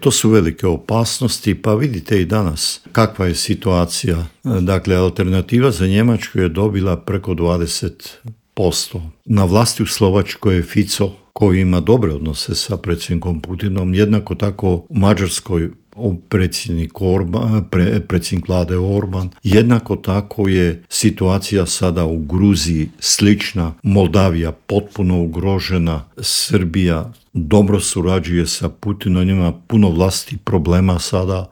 To su velike opasnosti, pa vidite i danas kakva je situacija. Dakle, alternativa za Njemačku je dobila preko 20%. Na vlasti u Slovačkoj je Fico, koji ima dobre odnose sa predsjednikom Putinom, jednako tako u Mađarskoj predsjednik vlade Orban. Jednako tako je situacija sada u Gruziji slična, Moldavija potpuno ugrožena, Srbija dobro surađuje sa Putinom, ima puno vlastitih problema sada